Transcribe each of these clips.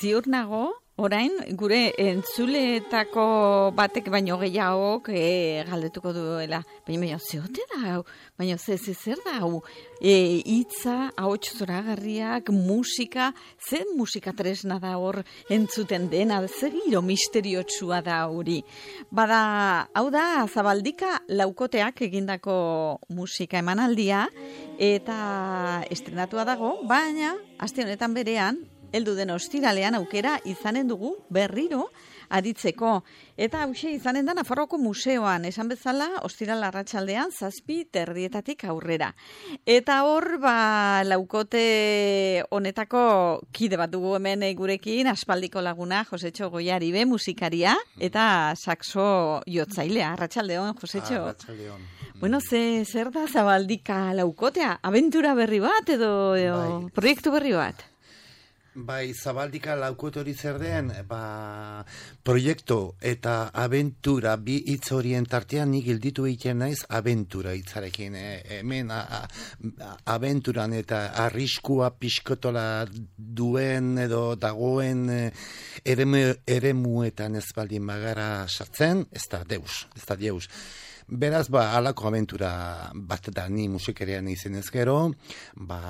Ziur nago, orain, gure entzuleetako batek baino gehiagok galdetuko duela. Baina zeote da hau, baina zer da hau? Hitza, ahots zoragarriak, musika, zen musika tresna da hor entzuten dena, zer giro misteriotsua da hori. Bada, hau da, Zabaldika laukoteak egindako musika emanaldia, eta estrenatua dago, baina, aste honetan berean, heldu den ostiralean aukera izanen dugu berriro aditzeko. Eta hauxe izanen da Nafarroako museoan, esan bezala, ostiral arratsaldean 7:30 aurrera. Eta hor, laukote honetako kide bat dugu hemen gurekin, aspaldiko laguna, Josetxo Goiaribe, musikaria, eta saxo jotzailea. Arratsaldeon, Josetxo. Arratsaldeon. Bueno, zer da Zabaldika laukotea? Abentura berri bat edo proiektu berri bat? Bai, Zabaldika laukote hori zer den, proiektu eta abentura bi hitz horien tartean nik gelditu egiten naiz abentura hitzarekin. Hemen abenturan eta arriskua pixkotola duen edo dagoen eremuetan ez baldin bagara sartzen, ez da deus. Beraz, halako abentura bat da ni musikerean izenez gero,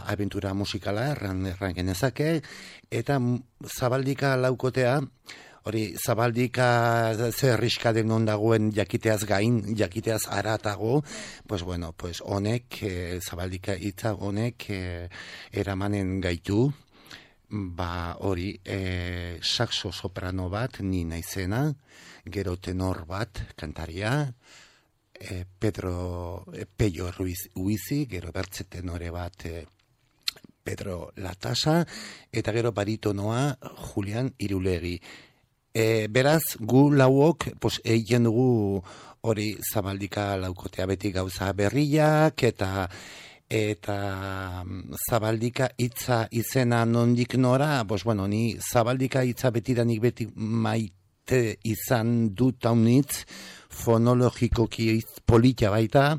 abentura musikala erran genezake, eta Zabaldika laukotea, hori Zabaldika zer riska den non dagoen jakiteaz gain, jakiteaz aratago, honek, Zabaldika hitza honek eramanen gaitu, hori saxo soprano bat, ni naizena, gero tenor bat, kantaria, Pello Ruiz, gero bertze tenore bat Pedro Latasa, eta gero baritonoa Julian Irulegi. Beraz, gu lauok egiten dugu hori Zabaldika laukotea beti gauza berriak, eta Zabaldika hitza izena nondik nora, ni Zabaldika hitza betidanik beti maite izan dut haunitz, fonologikoki polita baita,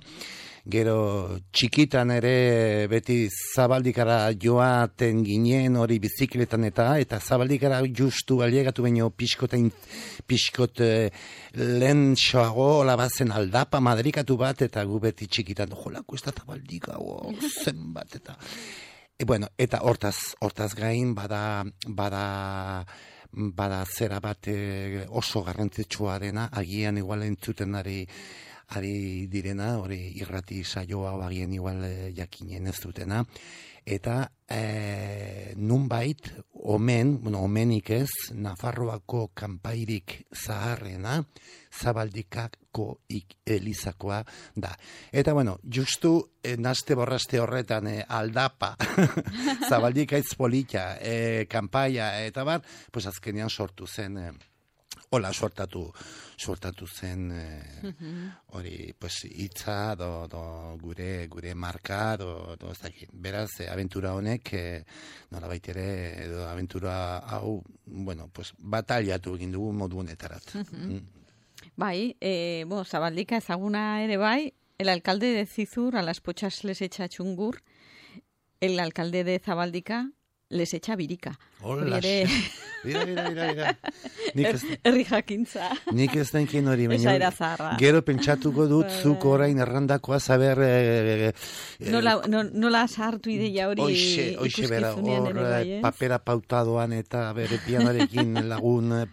gero txikitan ere beti Zabaldikara joaten ginen hori bizikletan eta Zabaldikara justu aliegatu baino pixkot lehen soago labazen aldapa madrikatu bat, eta gu beti txikitan jolako ez da Zabaldika zenbat eta hortaz gain bada zera bat oso garrantzitsua dena, agian igual entzuten ari direna, hori irrati saioa agian igual jakinen ez dutena, eta nunbait omenik ez, Nafarroako kanpairik zaharrena Zabaldikako elizakoa da. Eta justu naste borraste horretan aldapa Zabaldika hitz polita, kanpaia eta azkenean sortu zen hola sortatu zen hori hitza gure marka ez dakit. Beraz, abentura honek nolabait ere edo abentura hau bataliatu egin dugu modu honetarat. Bai, Zabaldika ezaguna ere bai, el alcalde de Zizur a las pochas les echa chungur, el alcalde de Zabaldika les echa birika. Hola, mira. Herri jakintza. Nik ez denkin hori, baina gero pentsatuko dut zuk orain errandakoa saber nola sartu ideia hori ikuskizunean ere bai, ez? Papera pautadoan eta bere pianoarekin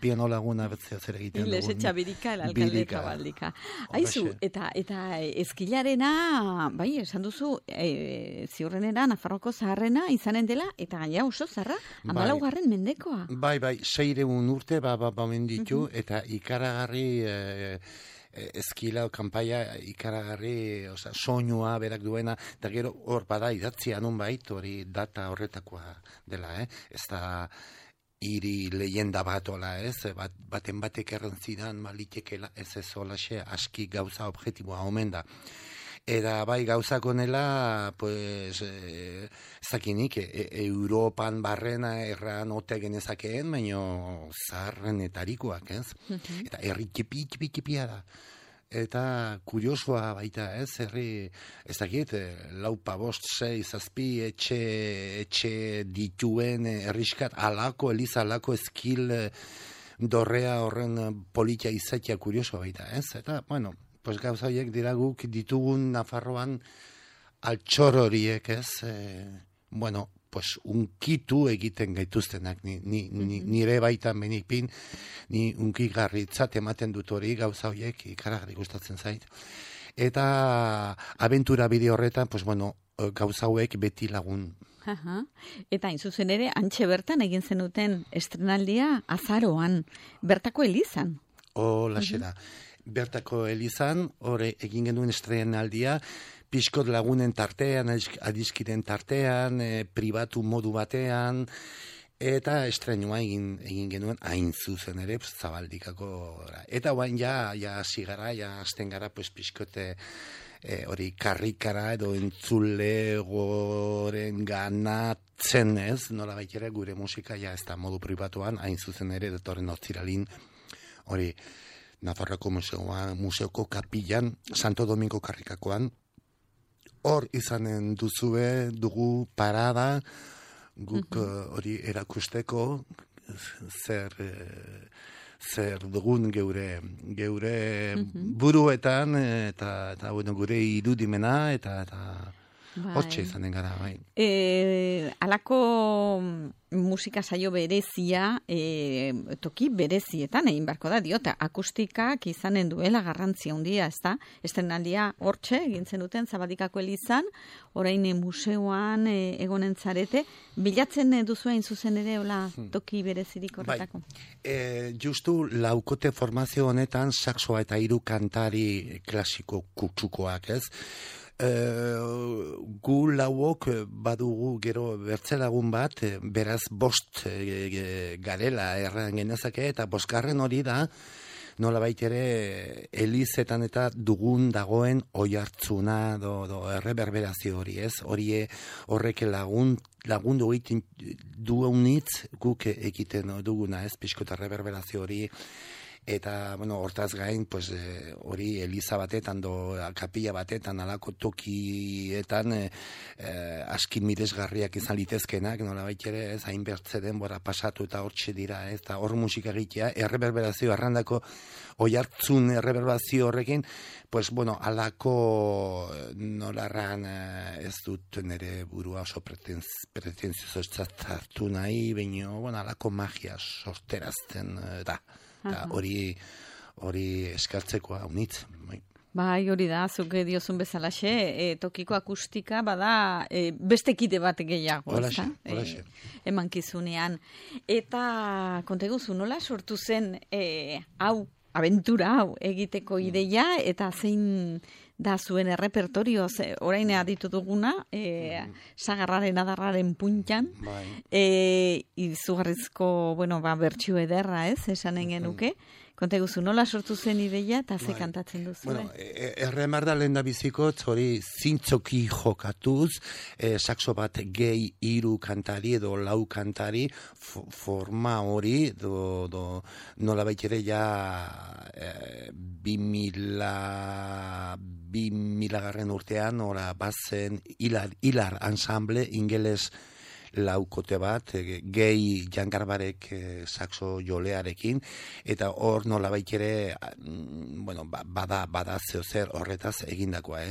piano laguna zer egiten dugun. Les echa birika el alcalde de Zabaldika. Aizu, eta eskilarena, bai, esan duzu, ziurrenera, Nafarroko zaharrena izanen dela, eta gaina oso zarra, 14. mendekoa. Bai, 600 urte menditu, eta ikaragarri eskila o kanpaia ikaragarri, soinua berak duena, eta gero hor bada idatzia nonbait, hori data horretakoa dela, ez da hiri leyenda bat ola, ez? Baten batek errantzidan, malitekela, ez olaxe, aski gauza objektiboa omen da. Eta bai gauzak honela, pues, zakinik, Europan barrena erran ote genezakeen, baino zaharrenetarikoak, ez? Eta herri txipi-txipia da. Eta kuriosoa baita, ez? Herri, ez dakit, 4, 5, 6, 7 etxe dituen herriskat alako, eliza alako eskil dorrea horren politia izatea kuriosoa baita, ez? Eta, bueno, pues gauza horiek dira guk ditugun Nafarroan altxor horiek, ez? Bueno, pues unkitu egiten gaituztenak, nire baitan benipin, ni unkigarritzat ematen dut hori gauza horiek ikaragarri gustatzen zait. Eta abentura bide horretan, pues bueno, gauza hauek beti lagun. Eta hain zuzen ere, antxe bertan egin zenuten estrenaldia azaroan, bertako elizan. Laxera. Bertako elizan, hori egin genuen estrenaldia, pixkot lagunen tartean, adiskiren tartean, pribatu modu batean, eta estrenua egin genuen hain zuzen ere, Zabaldikako. Eta guain ja zigara, azten gara, pixkote hori karrikara edo entzule goren ganatzen ez, nola baitera gure musika ez da modu pribatuan, hain zuzen ere, datorren otziralin, hori, Nafarroko museoko kapillan, Santo Domingo karrikakoan, hor izanen dugu parada, guk hori erakusteko, zer dugun geure buruetan, eta gure irudimena, eta hortxe izanen gara, bai. Alako musika saio berezia, toki berezietan egin barko da, diota, akustikak izanen duela garrantzia handia, ez da? Estrenaldia hortxe, egin zenuten Zabaldikako elizan, orain museoan egonen zarete, bilatzen duzu hain zuzen ere, hola, toki berezirik horretako? Bai, justu laukote formazio honetan, saxoa eta 3 kantari klasiko kutsukoak, ez? Gu lauok badugu gero bertzelagun bat, beraz 5 garela erran genezake, eta 5. hori da, nola baitere elizetan eta dugun dagoen oihartzuna do erreberberazio hori, ez? Horrek lagundu egiten duenitz guk egiten duguna, ez? Pixkota erreberberazio hori. Eta, bueno, hortaz gain, pues, hori eliza batetan, kapilla batetan, alako tokietan, aski miresgarriak izan litezkenak, nola baitere, ez, hain bertze denbora pasatu eta hortxe dira, ez, eta hor musika egitea, erreberberazio, arrandako oihartzun erreberberazio horrekin, pues, bueno, alako nolarran ez dut nire burua oso pretenzioso hartu nahi, baina, bueno, alako magia sorterazten da. Hori eskartzekoa unitz. Bai, hori da, zuk diozun bezalaxe, tokiko akustika bada beste kide bat gehiago. Holaxe. Emankizunean. Eta konteguzu, nola sortu zen abentura hau egiteko ideia, eta zein da zuen errepertorio, orain aditu duguna, sagarraren adarraren puntan, izugarrizko, bertsio ederra, ez, esanen genuke. Konteguzu, nola sortu zen ideia eta ze kantatzen duzu? Bueno, erremarda lehen da bizikotz, hori zintzoki jokatuz, saxo bat gehi 3 kantari edo 4 kantari, forma hori, nola baitere ja 2000 garren urtean, ora bazen hilar ensemble ingeles laukote bat, gehi jangarbarek saxo jolearekin, eta hor nola baikere, bada zeozer horretaz egindakoa,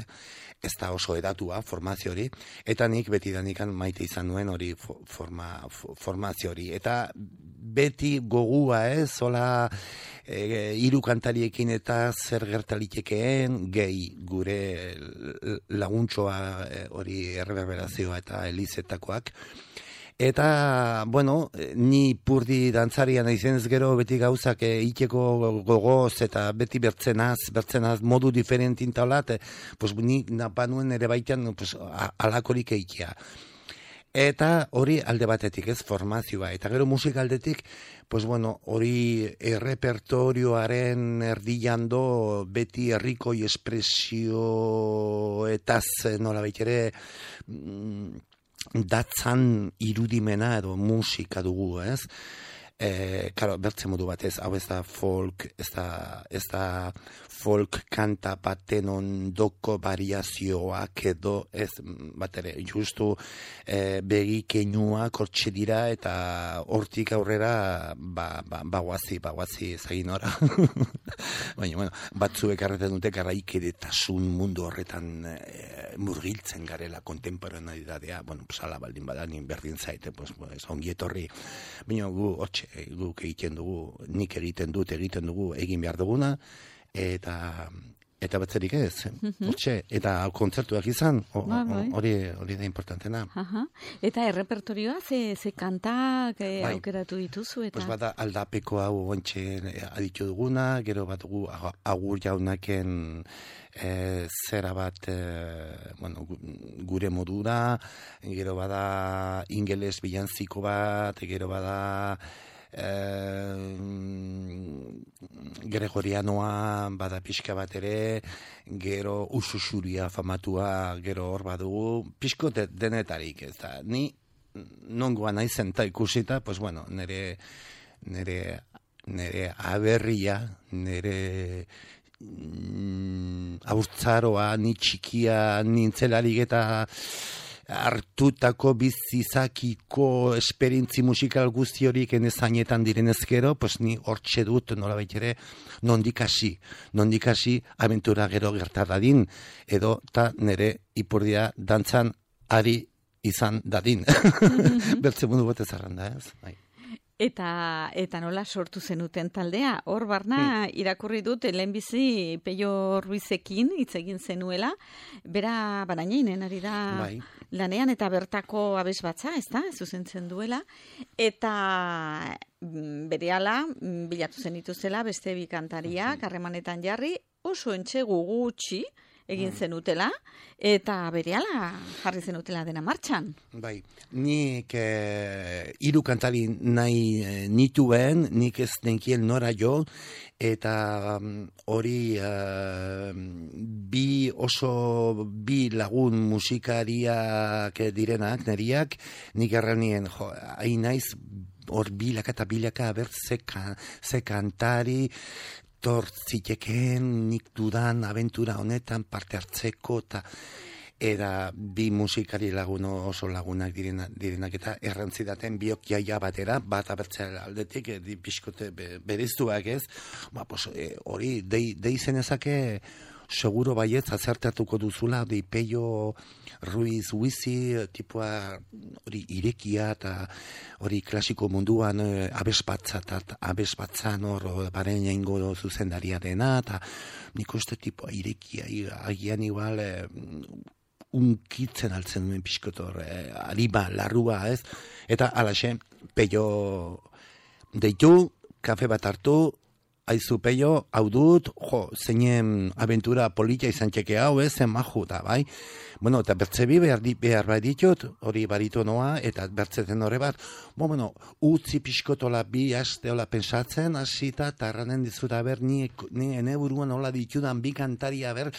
ez da oso edatua formazio hori, eta nik betidanikan maite izan nuen hori formazio hori, eta beti gogua, zola 3 kantariekin eta zer gertalitekeen gehi gure laguntxoa hori erreberberazioa eta elizetakoak. Eta, ni purdi dantzarian izenez gero beti gauzak iteko gogoz eta beti bertzenaz modu diferentin taulat, pues ni napanuen ere baitan alakorik eikia. Eta hori alde batetik, ez, formazioa. Eta gero musika aldetik, pues bueno, hori errepertorioaren erdian do beti herrikoi espresioetaz nola baitere datzan irudimena edo musika dugu, ez? Claro, bertze modu batez, hau ez da folk, ez da folk kanta baten ondoko variazioak edo ez batere, justu begi keinua kortxe dira eta hortik aurrera baguazi ezagin ora. Baina, bueno, batzuek arreten dute garaikidetasun mundu horretan murgiltzen garela kontemporaneidadea, bueno, sala baldin badanin berdin zaite, pues, ongi etorri. Baina guk egiten dugu, nik egiten dugu, egin behar duguna, eta batzerik ez, eta kontzertuak izan, hori da importantena. Eta errepertorioa, ze kantak aukeratu dituzu? Pues bada aldapeko hau ontxe aditu duguna, gero bat dugu Agur Jaunaken zera bat gure modura, gero bada ingeles bilanziko bat, gero bada Gregorianoa bada pixka bat ere, gero Ususuria famatua gero hor badugu, pixko denetarik, ez da, ni nongoa naizen ta ikusita, pues bueno, nire aberria, nire aurtzaroa, ni txikia nintzelarik eta hartutako bizizakiko esperientzi musikal guzti horiek enezainetan direnez gero, pues ni hortxe dut nolabait ere nondik hasi abentura gero gertar dadin, edo ta nire ipurdia dantzan ari izan dadin. Bertze mundu batez arranda, ez? Bai. Eta nola sortu zenuten taldea? Hor barna irakurri dut lehenbizi Peio Ruizekin hitz egin zenuela, bera barainainen ari da lanean eta bertako abesbatza, ez da, zuzentzen duela, eta berehala bilatu zenituzela beste bi kantariak harremanetan jarri, oso entsegu gutxi egin zenutela, eta berehala jarri zenutela dena martxan. Bai, nik 3 kantari nahi nituen, nik ez nenkien nora jo, eta hori bi lagun musikariak direnak, neriak, nik erranien, hain naiz, hor bilaka eta bilaka, ze kantari, tortziteken nik dudan abentura honetan parte hartzeko eta bi musikari lagun oso lagunak direnak eta errantzidaten biok jaia batera, bat abertzea aldetik, pixkote bereiztuak ez, hori dei zenezake seguro baietz azertatuko duzula, Peio Ruiz Huizi, tipua hori irekia eta hori klasiko munduan abesbatzan hor baren jaingo zuzendaria dena, eta nik uste tipua irekia, agian igual unkitzen altzen duen pixkotor, ariba, larrua, ez? Eta alaxe, Peio deitu, kafe bat hartu, aizu Peio, hau dut, zeinen abentura polita izan txeke hau, zen maju da, bai? Bueno, eta bertzebi behar bai ditut, hori baritonoa, eta bertzeten hori bat, utzi pixkotola bi aste hola pensatzen, hasita, eta erranen dizut, aber, ni ene buruan hola ditudan bi kantari, aber,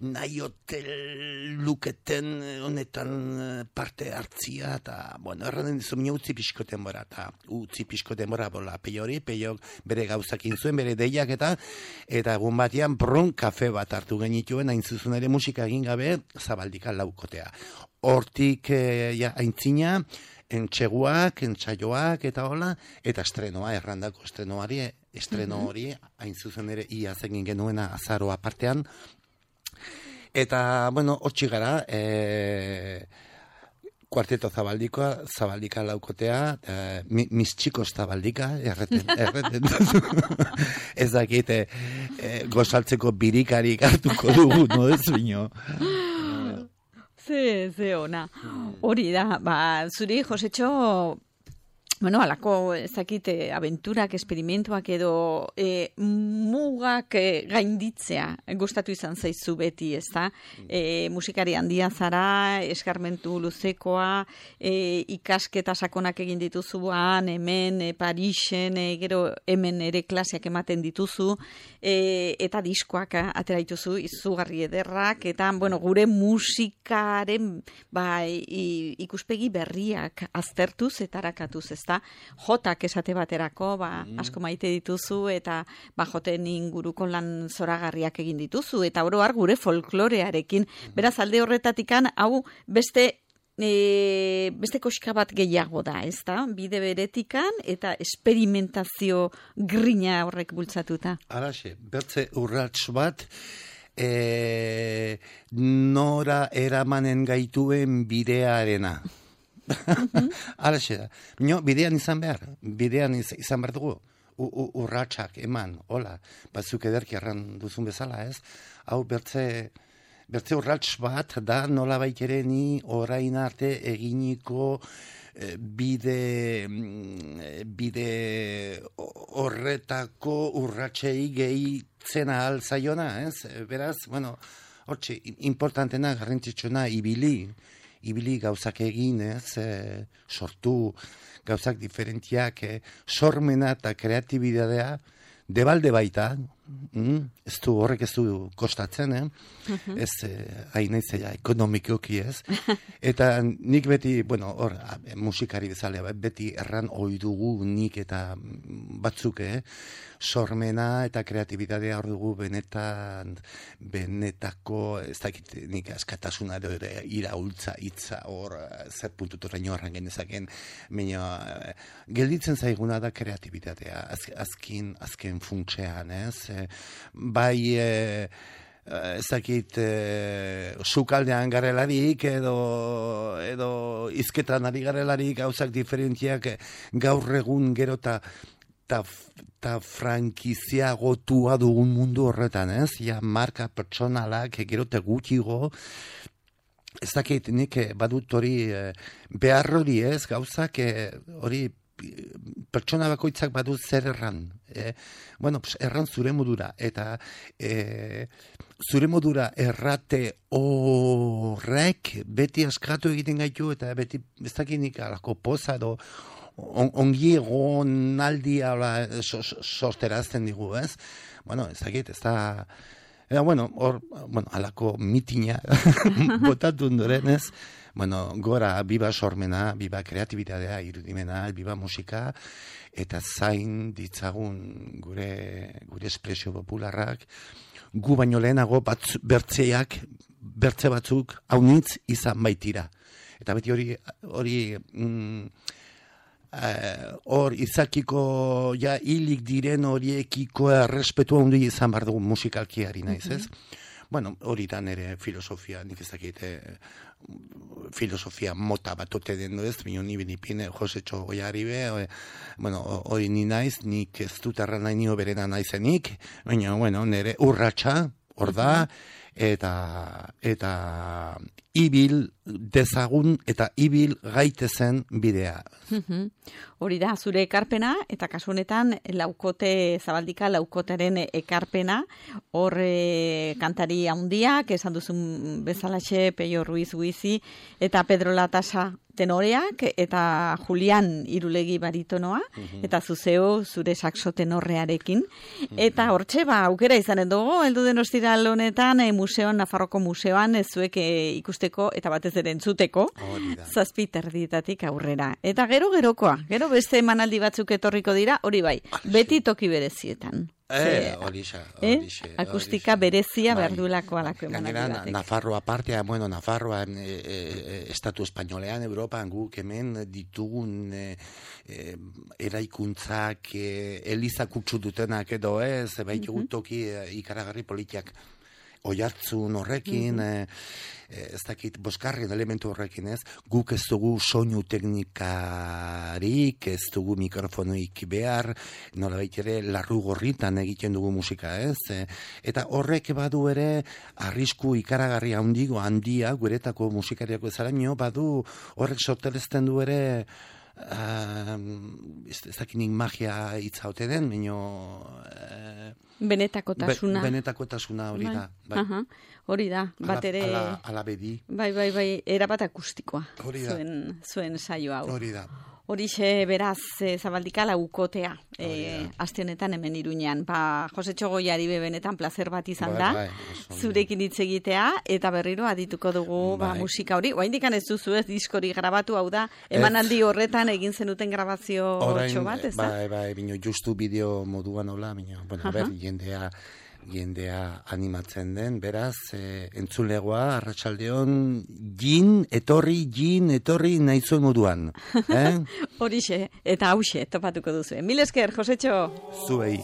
nahi hotel luketen honetan parte hartzia, eta, erranen dizut, utzi pixkoten bora, eta utzi pixkoten bora, Peio bere gauzakin zuen, bere deiak eta egun batean kafe bat hartu genituen, hain zuzen ere musika egin gabe Zabaldika laukotea. Hortik aintzina, entxeguak, entsaioak eta hola, eta estrenoa, errandako estreno hori, hain zuzen ere iaz egin genuena azaroa partean. Eta, hortxi gara, Kuarteto Zabaldika laukotea, mis chicos Zabaldika, erreten. Ez dakite, gozaltzeko birikarik hartuko dugu, no ez bino. Ze ona. Hori da, zuri, Josetxo, bueno, alako, ezakit, abenturak, esperimentuak edo mugak gainditzea gustatu izan zaizu beti, ezta? Musikari handia zara, eskarmentu luzekoa, ikasketa sakonak egin dituzuan, hemen, Parisen, gero hemen ere klaseak ematen dituzu, eta diskoak atera dituzu, izugarri ederrak, eta, bueno, gure musikaren ikuspegi berriak aztertuz eta arakatuz, ezta? Jotak esate baterako, asko maite dituzu, eta joten inguruko lan zoragarriak egin dituzu, eta oro har gure folklorearekin. Beraz, alde horretatikan, hau beste koxka bat gehiago da, ez da? Bide beretikan eta esperimentazio grina horrek bultzatuta. Halaxe, bertze urrats bat, nora eramanen gaituen bidearena. Halaxe da. Bidean izan behar dugu. Urratsak eman, hola, batzuk ederki erran duzun bezala, ez? Hau bertze urrats bat da nola ere ni orain arte eginiko bide horretako urratsei gehitzen ahal zaiona, ez? Beraz, bueno, hortxe, importantena, garrantzitsuna, ibili gauzak egin, ez, sortu gauzak diferentiak, sormena eta kreatibidadea, debalde baita, horrek ez du kostatzen, ez hain naizela ekonomikoki, ez, eta nik beti, bueno, hor, musikari bezala, beti erran ohi dugu nik eta batzuk, sormena eta kreatibidadea hor dugu benetako, ez dakit nik askatasuna ere iraultza, hitza, hor, zer puntuturaino horren genezaken, gelditzen zaiguna da kreatibidadea, azken funtsean, ez, bai ezakit sukaldean garelarik edo izketan ari garelarik gauzak diferentziak gaur egun gero eta frankiziagotua dugun mundu horretan, ez? Ja, marka pertsonalak gero te gutxigo, ez dakit nik badut hori behar hori, ez? Gauzak hori pertsona bakoitzak badu zer erran. Bueno, erran zure modura, eta zure modura errate horrek beti askatu egiten gaitu, eta beti ez dakinik alako poza edo ongi egon aldia sorterazten digu, ez? Bueno, ez dakit, ez da... bueno, alako mitina botatu ondoren, ez? Bueno, gora, biba sormena, biba kreatibitatea, irudimena, biba musika, eta zain ditzagun gure espresio popularrak, gu baino lehenago bertze batzuk haunitz izan baitira. Eta beti hori hor izakiko ja hilik diren horiekiko errespetua hundi izan behar dugu musikalkiari naiz, ez? Bueno, hori da nire filosofia, nik ez dakit filosofia mota bat ote den ez, ni benipine Josetxo Goiaribe, bueno, hori ni naiz, nik ez dut erran nahi nio berena naizenik, baina, bueno, nire urratsa, hor da, eta ibil dezagun eta ibil gaitezen bidea. Hori da, zure ekarpena, eta kasu honetan Zabaldika laukotaren ekarpena, hor kantari handiak, esan duzun bezalaxe, Peio Ruiz Guizi, eta Pedro Latasa tenoreak, eta Julian Irulegi baritonoa, eta zuzeo zure saxo tenorrearekin. Eta hortxe, aukera izanen dugu, heldu den ostiral honetan, Nafarroko museoan, zuek ikusteko, eta batez ere entzuteko, 7:00 aurrera. Eta gerokoa, gero beste emanaldi batzuk etorriko dira, hori bai, beti toki berezietan. Akustika berezia behar duelako alako emanaldi batek. Nafarroa partea, bueno, Nafarroan, estatu espainolean, Europan, guk hemen ditugun eraikuntzak, eliza kutsu dutenak edo ez, baitugu toki ikaragarri politiak. Oihartzun horrekin, ez dakit, boskarren elementu horrekin, ez? Guk ez dugu soinu teknikarik, ez dugu mikrofonoik behar, nola ere larru gorritan egiten dugu musika, ez? Eta horrek badu ere, arrisku ikaragarri handia, guretako musikariako ezaraino, badu horrek sortelezten du ere, ez dakinik magia hitza ote den, baino... Benetakotasuna. Benetakotasuna hori da. Bai. Hori da, bat ere... Ala bedi. Bai, erabat akustikoa. Hori da. Zuen saio hau. Hori da. Horixe beraz Zabaldika laukotea aste honetan hemen Iruñean. Jose Txogoiari benetan plazer bat izan da. Zurekin hitz egitea eta berriro adituko dugu musika hori. Oraindik ez duzu ez diskori grabatu, hau da emanaldi horretan egin zenuten grabazio otxo bat, ez da? Bai, bino justu bideo moduan hola, bino, bueno, jendea animatzen den, beraz, entzulegoa, arratsaldeon, jin, etorri nahi zuen moduan. Horixe, eta hauxe, topatuko duzu. Mil esker, Josetxo! Zuei.